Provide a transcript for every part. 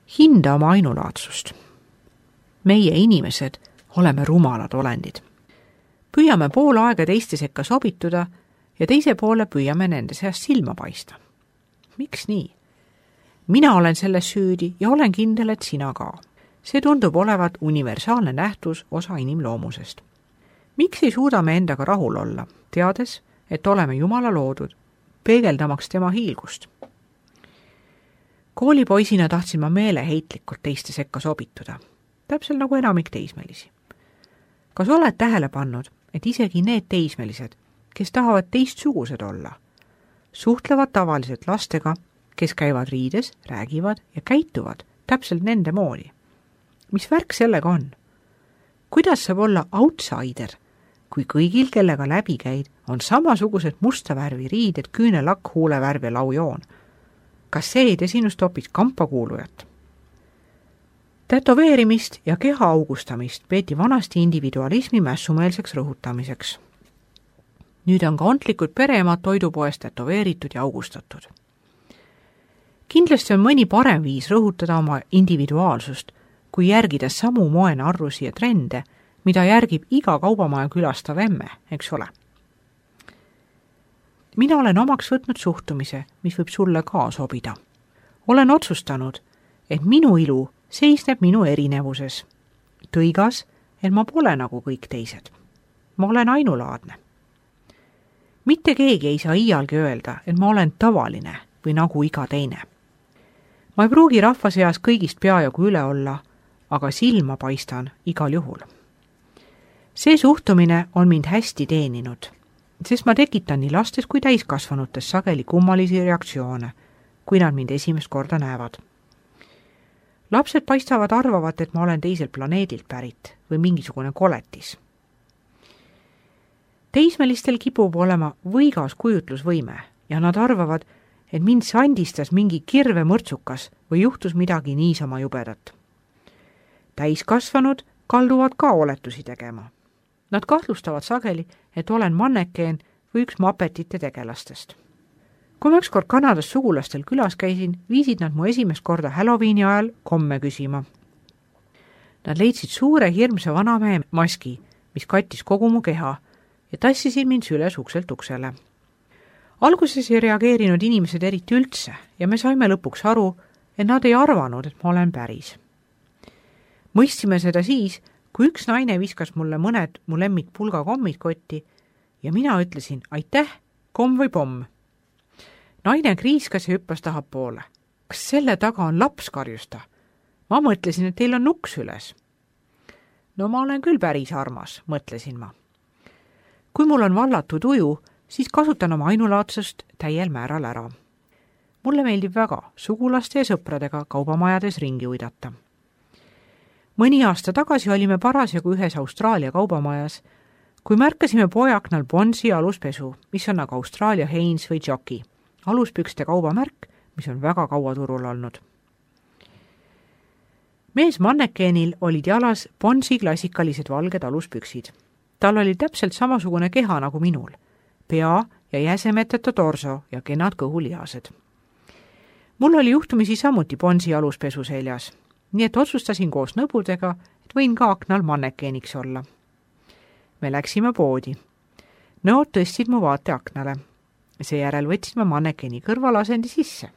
Hinda oma ainulaadsust. Meie inimesed oleme rumalad olendid. Püüame pool aega teiste sekka sobituda ja teise poole püüame nende seast silma paista. Miks nii? Mina olen selles süüdi ja olen kindel, et sina ka. See tundub olevat universaalne nähtus osa inimloomusest. Miks ei suuda me endaga rahul olla, teades, et oleme Jumala loodud, peegeldamaks tema hiilgust? Koolipoisina tahtsin ma meeleheitlikult teiste sekka sobituda, täpselt nagu enamik teismelisi. Kas oled tähele pannud, et isegi need teismelised, kes tahavad teistsugused olla, suhtlevad tavaliselt lastega, kes käivad riides, räägivad ja käituvad täpselt nende moodi? Mis värk sellega on? Kuidas saab olla outsider, kui kõigil, kellega läbi käid, on samasugused musta värvi riided, küünelakk, huulevärv ja laujoon? Kas see ei tee sinust hoopis kampakuulujat? Tätoveerimist ja keha augustamist peeti vanasti individualismi mässumeelseks rõhutamiseks. Nüüd on ka ontlikud pereemad toidupoest tätoveeritud ja augustatud. Kindlasti on mõni parem viis rõhutada oma individuaalsust, kui järgida samu moenarrusi ja trende, mida järgib iga kaubamaja külastav emme, eks ole. Mina olen omaks võtnud suhtumise, mis võib sulle ka sobida. Olen otsustanud, et minu ilu seisneb minu erinevuses. Tõigas, et ma pole nagu kõik teised. Ma olen ainulaadne. Mitte keegi ei saa iialgi öelda, et ma olen tavaline või nagu iga teine. Ma ei pruugi rahva seas kõigist peajagu üle olla, aga silma paistan igal juhul. See suhtumine on mind hästi teeninud, sest ma tekitan nii lastes kui täiskasvanutes sageli kummalisi reaktsioone, kui nad mind esimest korda näevad. Lapsed paistavad arvavat, et ma olen teiselt planeedilt pärit või mingisugune koletis. Teismelistel kipub olema võigas kujutlusvõime ja nad arvavad, et mind sandistas mingi kirve mõrtsukas või juhtus midagi niisama jubedat. Täiskasvanud kalduvad ka oletusi tegema. Nad kahtlustavad sageli, et olen mannekeen või üks Muppetite tegelastest. Kui ma ükskord Kanadas sugulastel külas käisin, viisid nad mu esimest korda Halloweeni ajal komme küsima. Nad leidsid suure hirmsa vanamehe maski, mis kattis kogu mu keha ja tassisid mind süles ukselt uksele. Alguses ei reageerinud inimesed eriti üldse ja me saime lõpuks aru, et nad ei arvanud, et ma olen päris. Mõistsime seda siis, kui üks naine viskas mulle mõned mu lemmik pulgakommid kotti ja mina ütlesin, aitäh, komm või pomm. Naine kriiskas ja hüppas tahapoole. Kas selle taga on laps, karjus ta? Ma mõtlesin, et teil on nuks üles. No ma olen küll päris armas, mõtlesin ma. Kui mul on vallatud uju, siis kasutan oma ainulaadsust täiel määral ära. Mulle meeldib väga sugulaste ja sõpradega kaubamajades ringi uidata. Mõni aasta tagasi olime parasjagu ühes Austraalia kaubamajas, kui märkasime poeaknal Bonsi aluspesu, mis on aga Austraalia Hanes või Jockey, aluspükste kaubamärk, mis on väga kaua turul olnud. Mees mannekeenil olid jalas Bonsi klassikalised valged aluspüksid. Tal oli täpselt samasugune keha nagu minul, pea ja jäsemeteta torso ja kenad kõhulihased. Mul oli juhtumisi samuti Bonsi aluspesu seljas, nii et otsustasin koos nõbudega, et võin ka aknal mannekeeniks olla. Me läksime poodi. Nõod tõstsid mu vaate aknale. Seejärel võtsid ma mannekeeni kõrvalasendi sisse.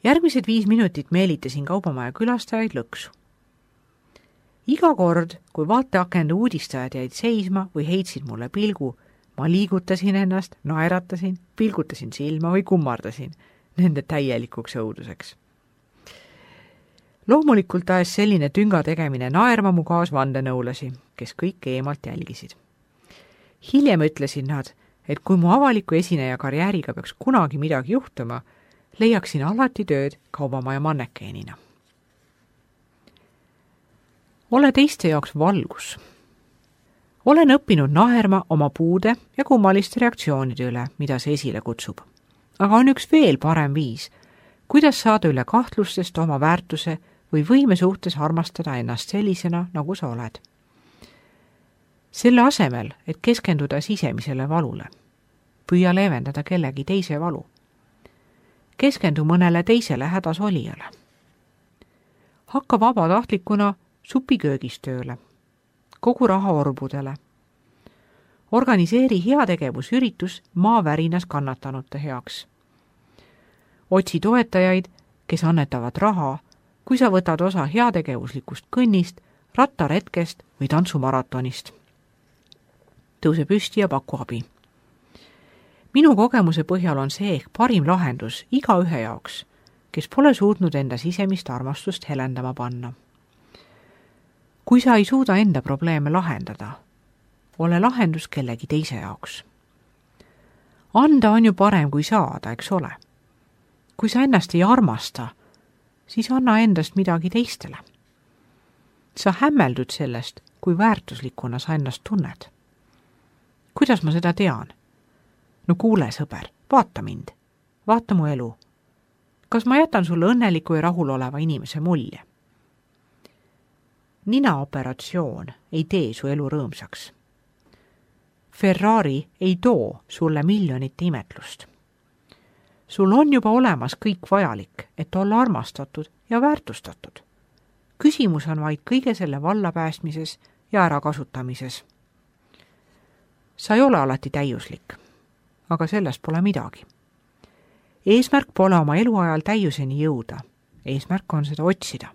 Järgmised 5 minutit meelitasin kaubamaja külastajaid lõksu. Iga kord, kui vaateakende uudistajad jäid seisma või heitsid mulle pilgu, ma liigutasin ennast, naeratasin, pilgutasin silma või kummardasin nende täielikuks õuduseks. Loomulikult ajas selline tünga tegemine naerma mu kaasvandenõulasi, kes kõik eemalt jälgisid. Hiljem ütlesid nad, et kui mu avaliku esineja karjääriga peaks kunagi midagi juhtuma, leiaksin alati tööd kaubamaja mannekeenina. Ole teiste jaoks valgus. Olen õppinud naerma oma puude ja kummaliste reaktsioonide üle, mida see esile kutsub. Aga on üks veel parem viis, kuidas saada üle kahtlustest oma väärtuse või võime suhtes armastada ennast sellisena, nagu sa oled. Selle asemel, et keskenduda sisemisele valule, püüa leevendada kellegi teise valu. Keskendu mõnele teisele hädas olijale. Hakka vabatahtlikuna supiköögis tööle, kogu rahaorbudele. Organiseeri heategevusüritus maavärinas kannatanute heaks. Otsi toetajaid, kes annetavad raha, kui sa võtad osa heategevuslikust kõnnist, rattaretkest või tantsumaratonist. Tõuse püsti ja paku abi. Minu kogemuse põhjal on see ehk parim lahendus igaühe jaoks, kes pole suutnud enda sisemist armastust helendama panna. Kui sa ei suuda enda probleeme lahendada, ole lahendus kellegi teise jaoks. Anda on ju parem kui saada, eks ole. Kui sa ennast ei armasta, siis anna endast midagi teistele. Sa hämmeldud sellest, kui väärtuslikuna sa ennast tunned. Kuidas ma seda tean? No kuule, sõber, vaata mind. Vaata mu elu. Kas ma jätan sulle õnneliku ja rahuloleva inimese mulje? Ninaoperatsioon ei tee su elu rõõmsaks. Ferrari ei too sulle miljonite imetlust. Sul on juba olemas kõik vajalik, et olla armastatud ja väärtustatud. Küsimus on vaid kõige selle vallapäästmises ja ärakasutamises. Sa ei ole alati täiuslik, aga sellest pole midagi. Eesmärk pole oma eluajal täiuseni jõuda. Eesmärk on seda otsida.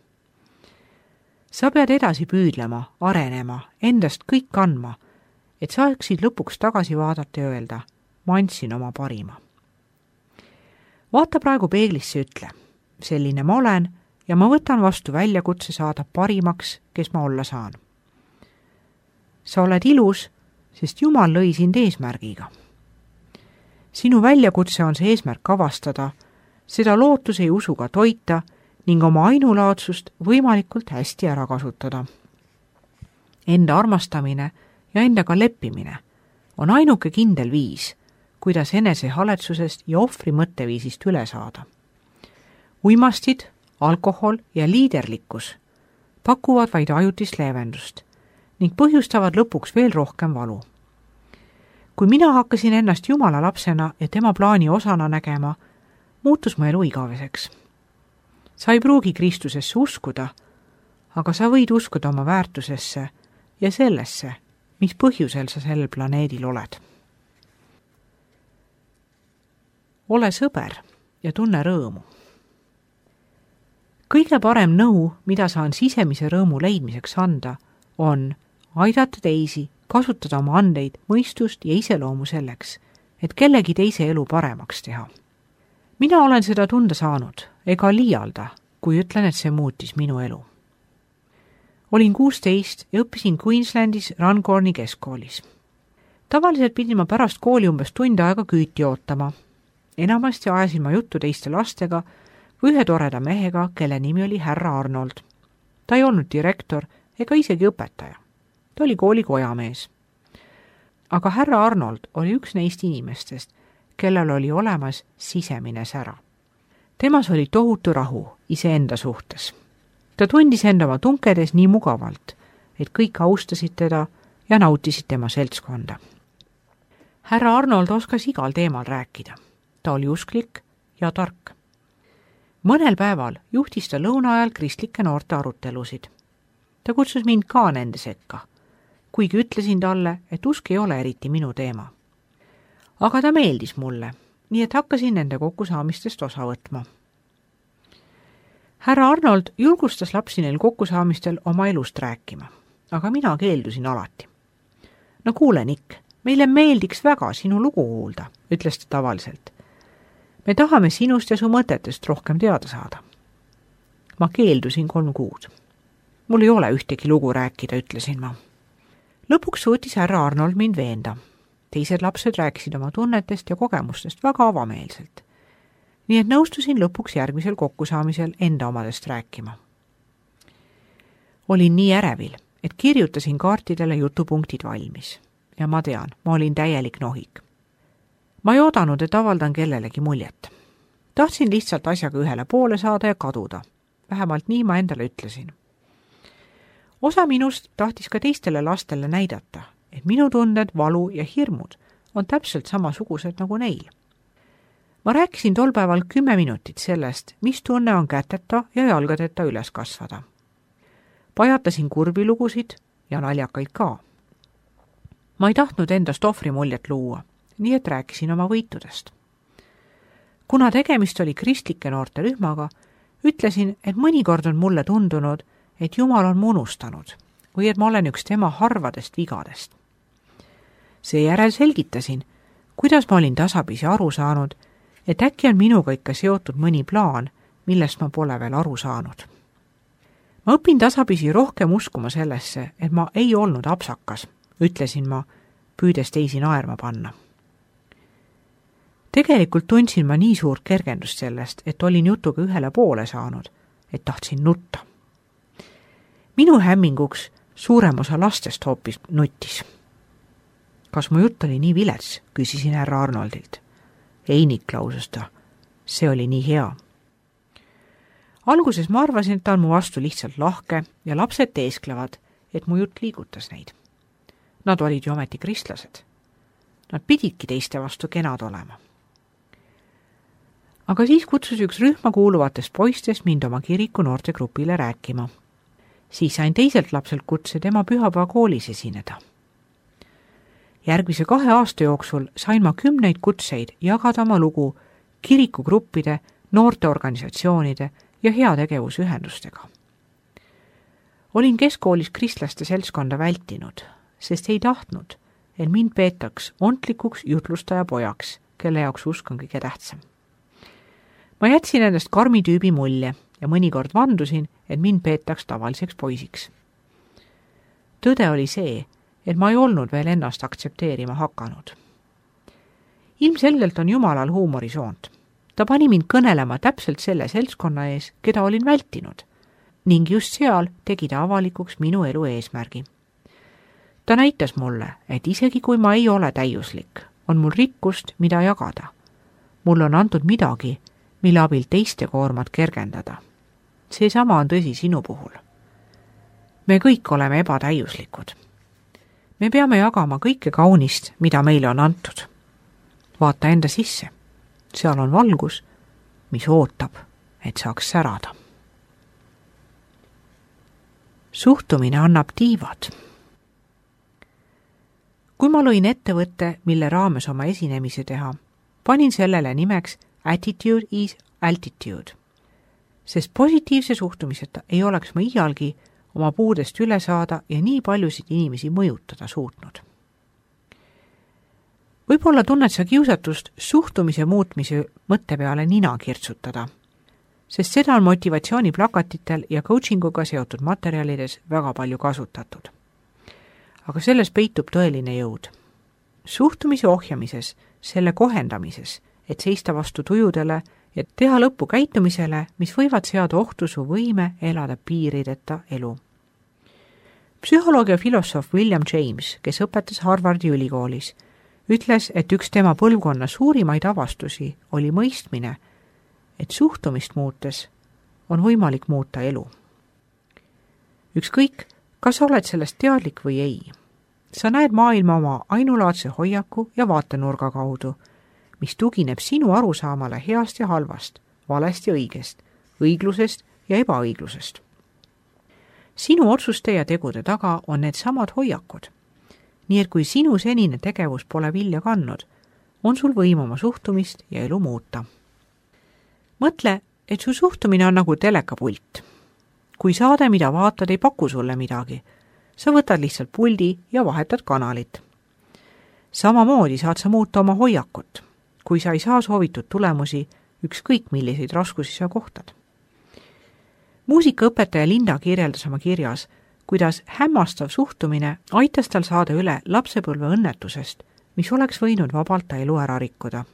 Sa pead edasi püüdlema, arenema, endast kõik andma, et saaksid lõpuks tagasi vaadata ja öelda, ma andsin oma parima. Vaata praegu peeglisse, ütle, selline ma olen ja ma võtan vastu väljakutse saada parimaks, kes ma olla saan. Sa oled ilus, sest Jumal lõi sind eesmärgiga. Sinu väljakutse on see eesmärk avastada, seda lootuse ja usuga toita ning oma ainulaadsust võimalikult hästi ära kasutada. Enda armastamine ja endaga leppimine on ainuke kindel viis, kuidas enesehaletsusest ja ohvri mõtteviisist üle saada. Uimastid, alkohol ja liiderlikkus pakuvad vaid ajutist leevendust ning põhjustavad lõpuks veel rohkem valu. Kui mina hakkasin ennast Jumala lapsena ja tema plaani osana nägema, muutus mu elu igaveseks. Sa ei pruugi Kristusesse uskuda, aga sa võid uskuda oma väärtusesse ja sellesse, mis põhjusel sa sellel planeedil oled. Ole sõber ja tunne rõõmu. Kõige parem nõu, mida saan sisemise rõõmu leidmiseks anda, on aidata teisi, kasutada oma andeid, mõistust ja iseloomu selleks, et kellegi teise elu paremaks teha. Mina olen seda tunda saanud, ega liialda, kui ütlen, et see muutis minu elu. Olin 16 ja õppisin Queenslandis Runcorni keskkoolis. Tavaliselt pidin ma pärast kooli umbes tund aega küüti ootama. Enamasti ajasin ma juttu teiste lastega või ühe toreda mehega, kelle nimi oli härra Arnold. Ta ei olnud direktor ega isegi õpetaja. Ta oli kooli kojamees. Aga härra Arnold oli üks neist inimestest, kellel oli olemas sisemine sära. Temas oli tohutu rahu iseenda suhtes. Ta tundis enda oma tunkedes nii mugavalt, et kõik austasid teda ja nautisid tema seltskonda. Härra Arnold oskas igal teemal rääkida. Ta oli usklik ja tark. Mõnel päeval juhtis ta lõuna ajal kristlike noorte arutelusid. Ta kutsus mind ka nende sekka, kuigi ütlesin talle, et usk ei ole eriti minu teema. Aga ta meeldis mulle, nii et hakkasin nende kokkusaamistest osa võtma. Härra Arnold julgustas lapsi neil kokkusaamistel oma elust rääkima, aga mina keeldusin alati. No kuule, Nick, meile meeldiks väga sinu lugu kuulda, ütles ta tavaliselt. Me tahame sinust ja su mõtetest rohkem teada saada. Ma keeldusin 3 kuud. Mul ei ole ühtegi lugu rääkida, ütlesin ma. Lõpuks suutis härra Arnold mind veenda. Teised lapsed rääkisid oma tunnetest ja kogemustest väga avameelselt. Nii et nõustusin lõpuks järgmisel kokkusaamisel enda omadest rääkima. Olin nii ärevil, et kirjutasin kaartidele jutupunktid valmis. Ja ma tean, ma olin täielik nohik. Ma ei oodanud, et avaldan kellelegi muljet. Tahtsin lihtsalt asjaga ühele poole saada ja kaduda. Vähemalt nii ma endale ütlesin. Osa minust tahtis ka teistele lastele näidata, et minu tunded, valu ja hirmud on täpselt samasugused nagu neil. Ma rääkisin tol päeval 10 minutit sellest, mis tunne on käteta ja jalgadeta üles kasvada. Pajatasin kurbi lugusid ja naljakaid ka. Ma ei tahtnud endast ohvri muljet luua, nii et rääkisin oma võitudest. Kuna tegemist oli kristlike noorte rühmaga, ütlesin, et mõnikord on mulle tundunud, et Jumal on mu unustanud või et ma olen üks tema harvadest vigadest. Seejärel selgitasin, kuidas ma olin tasapisi aru saanud, et äkki on minuga ikka seotud mõni plaan, millest ma pole veel aru saanud. Ma õpin tasapisi rohkem uskuma sellesse, et ma ei olnud apsakas, ütlesin ma, püüdes teisi naerma panna. Tegelikult tundsin ma nii suurt kergendust sellest, et olin jutuga ühele poole saanud, et tahtsin nutta. Minu hämminguks suurem osa lastest hoopis nuttis. Kas mu jutt oli nii vilets, küsisin härra Arnoldilt. Ei, Niklauses ta, see oli nii hea. Alguses ma arvasin, et ta on mu vastu lihtsalt lahke ja lapsed teesklevad, et mu jutt liigutas neid. Nad olid ju ometi kristlased. Nad pididki teiste vastu kenad olema. Aga siis kutsus üks rühma kuuluvatest poistest mind oma kiriku noortegrupile rääkima. Siis sain teiselt lapselt kutse tema pühapäevakoolis esineda. Järgmise 2 aasta jooksul sain ma 10 kutseid jagada oma lugu kirikugruppide, noorteorganisatsioonide ja heategevusühendustega. Olin keskkoolis kristlaste seltskonda vältinud, sest ei tahtnud, et mind peetaks ontlikuks jutlustaja pojaks, kelle jaoks usk on kõige tähtsam. Ma jätsin endast karmi tüübi mulje ja mõnikord vandusin, et mind peetaks tavaliseks poisiks. Tõde oli see, et ma ei olnud veel ennast aktsepteerima hakanud. Ilmselgelt on Jumalal huumorisoont. Ta pani mind kõnelema täpselt selle seltskonna ees, keda olin vältinud, ning just seal tegi ta avalikuks minu elu eesmärgi. Ta näitas mulle, et isegi kui ma ei ole täiuslik, on mul rikkust, mida jagada. Mul on antud midagi, mille abil teiste koormat kergendada. Seesama on tõsi sinu puhul. Me kõik oleme ebatäiuslikud. Me peame jagama kõike kaunist, mida meile on antud. Vaata enda sisse. Seal on valgus, mis ootab, et saaks särada. Suhtumine annab tiivad. Kui ma lõin ettevõtte, mille raames oma esinemise teha, panin sellele nimeks Attitude is altitude, sest positiivse suhtumiseta ei oleks ma iialgi oma puudest üle saada ja nii paljusid inimesi mõjutada suutnud. Võib-olla tunned sa kiusatust suhtumise muutmise mõtte peale nina kirtsutada, sest seda on motivatsiooniplakatitel ja coachinguga seotud materjalides väga palju kasutatud. Aga selles peitub tõeline jõud. Suhtumise ohjamises, selle kohendamises, et seista vastu tujudele ja teha lõppu käitumisele, mis võivad seada ohtu su võime elada piirideta elu. Psühholoog ja filosoof William James, kes õpetas Harvardi ülikoolis, ütles, et üks tema põlvkonna suurimaid avastusi oli mõistmine, et suhtumist muutes on võimalik muuta elu. Ükskõik, kas oled sellest teadlik või ei, sa näed maailma oma ainulaadse hoiaku ja vaatenurga kaudu, mis tugineb sinu arusaamale heast ja halvast, valest ja õigest, õiglusest ja ebaõiglusest. Sinu otsuste ja tegude taga on need samad hoiakud. Nii et kui sinu senine tegevus pole vilja kandnud, on sul võim oma suhtumist ja elu muuta. Mõtle, et su suhtumine on nagu telekapult. Kui saade, mida vaatad, ei paku sulle midagi, sa võtad lihtsalt puldi ja vahetad kanalit. Samamoodi saad sa muuta oma hoiakut, kui sa ei saa soovitud tulemusi, ükskõik milliseid raskusi sa kohtad. Muusikaõpetaja Linda kirjeldas oma kirjas, kuidas hämmastav suhtumine aitas tal saada üle lapsepõlve õnnetusest, mis oleks võinud vabalt ta elu ära rikkuda.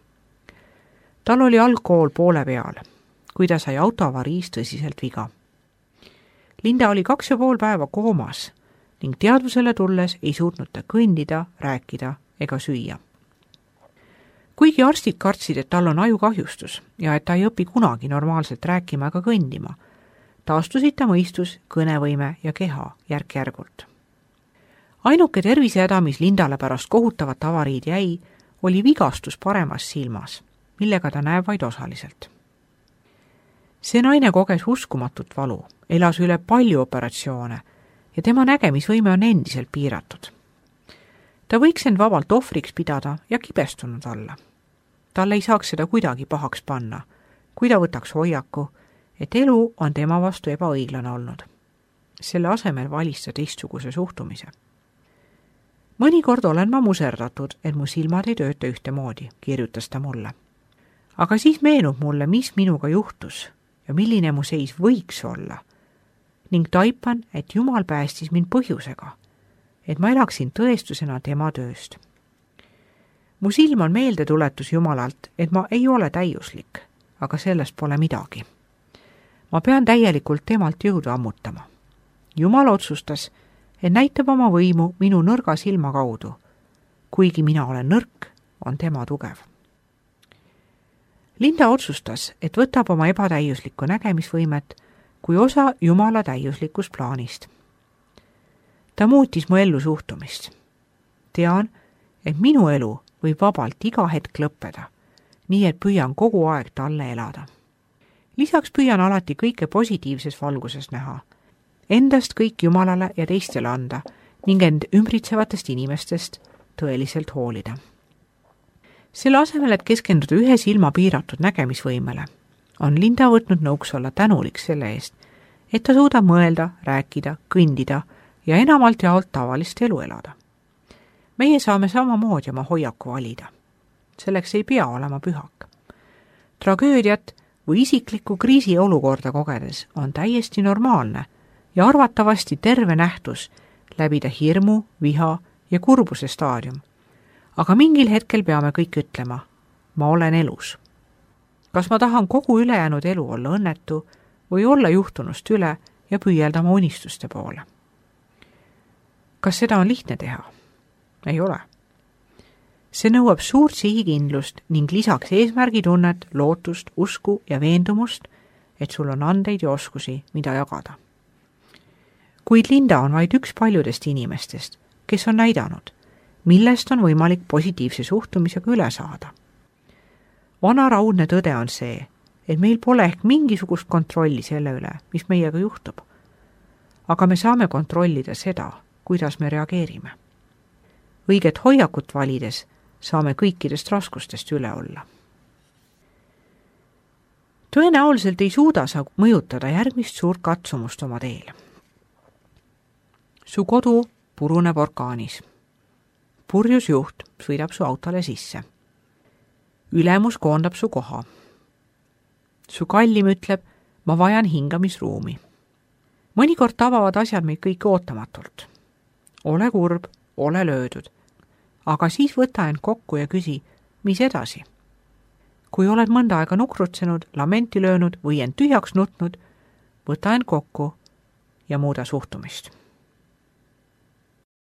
Tal oli algkool poole peal, kui ta sai autoavariis tõsiselt viga. Linda oli 2,5 päeva koomas ning teadvusele tulles ei suutnud ta kõndida, rääkida ega süüa. Kuigi arstid kartsid, et tal on ajukahjustus ja et ta ei õpi kunagi normaalselt rääkima ega kõndima, taastusid ta mõistus, kõnevõime ja keha järk-järgult. Ainuke tervisehäda, mis Lindale pärast kohutavat avariid jäi, oli vigastus paremas silmas, millega ta näeb vaid osaliselt. See naine koges uskumatut valu, elas üle palju operatsioone ja tema nägemisvõime on endiselt piiratud. Ta võiks end vabalt ohvriks pidada ja kibestunud olla. Talle ei saaks seda kuidagi pahaks panna, kui ta võtaks hoiaku, et elu on tema vastu ebaõiglane olnud. Selle asemel valis ta teistsuguse suhtumise. Mõnikord olen ma muserdatud, et mu silmad ei tööta ühtemoodi, kirjutas ta mulle. Aga siis meenub mulle, mis minuga juhtus ja milline mu seis võiks olla. Ning taipan, et Jumal päästis mind põhjusega, et ma elaksin tõestusena tema tööst. Mu silm on meeldetuletus Jumalalt, et ma ei ole täiuslik, aga sellest pole midagi. Ma pean täielikult temalt jõudu ammutama. Jumal otsustas, et näitab oma võimu minu nõrga silma kaudu. Kuigi mina olen nõrk, on tema tugev. Linda otsustas, et võtab oma ebatäiuslikku nägemisvõimet kui osa Jumala täiuslikust plaanist. Ta muutis mu ellu suhtumist. Tean, et minu elu võib vabalt iga hetk lõppeda, nii et püüan kogu aeg talle elada. Lisaks püüan alati kõike positiivses valguses näha, endast kõik Jumalale ja teistele anda ning end ümbritsevatest inimestest tõeliselt hoolida. Selle asemel, et keskenduda ühe silma piiratud nägemisvõimele, on Linda võtnud nõuks olla tänulik selle eest, et ta suudab mõelda, rääkida, kõndida ja enamalt jaolt tavalist elu elada. Meie saame samamoodi oma hoiaku valida. Selleks ei pea olema pühak. Tragöödiat või isiklikku kriisiolukorda kogedes on täiesti normaalne ja arvatavasti terve nähtus läbida hirmu, viha ja kurbuse staadium. Aga mingil hetkel peame kõik ütlema, ma olen elus. Kas ma tahan kogu ülejäänud elu olla õnnetu või olla juhtunust üle ja püüeldama unistuste poole? Kas seda on lihtne teha? Ei ole. See nõuab suurt sihikindlust ning lisaks eesmärgitunnet, lootust, usku ja veendumust, et sul on andeid ja oskusi, mida jagada. Kuid Linda on vaid üks paljudest inimestest, kes on näidanud, millest on võimalik positiivse suhtumisega üle saada. Vana raudne tõde on see, et meil pole ehk mingisugust kontrolli selle üle, mis meiega juhtub. Aga me saame kontrollida seda, kuidas me reageerime. Õiget hoiakut valides saame kõikidest raskustest üle olla. Tõenäoliselt ei suuda sa mõjutada järgmist suurt katsumust oma teel. Su kodu puruneb orkaanis. Purjus juht sõidab su autole sisse. Ülemus koondab su koha. Su kallim ütleb, ma vajan hingamisruumi. Mõnikord tabavad asjad meid kõik ootamatult. Ole kurb, ole löödud. Aga siis võta end kokku ja küsi, mis edasi? Kui oled mõnda aega nukrutsenud, lamenti löönud või end tühjaks nutnud, võta end kokku ja muuda suhtumist.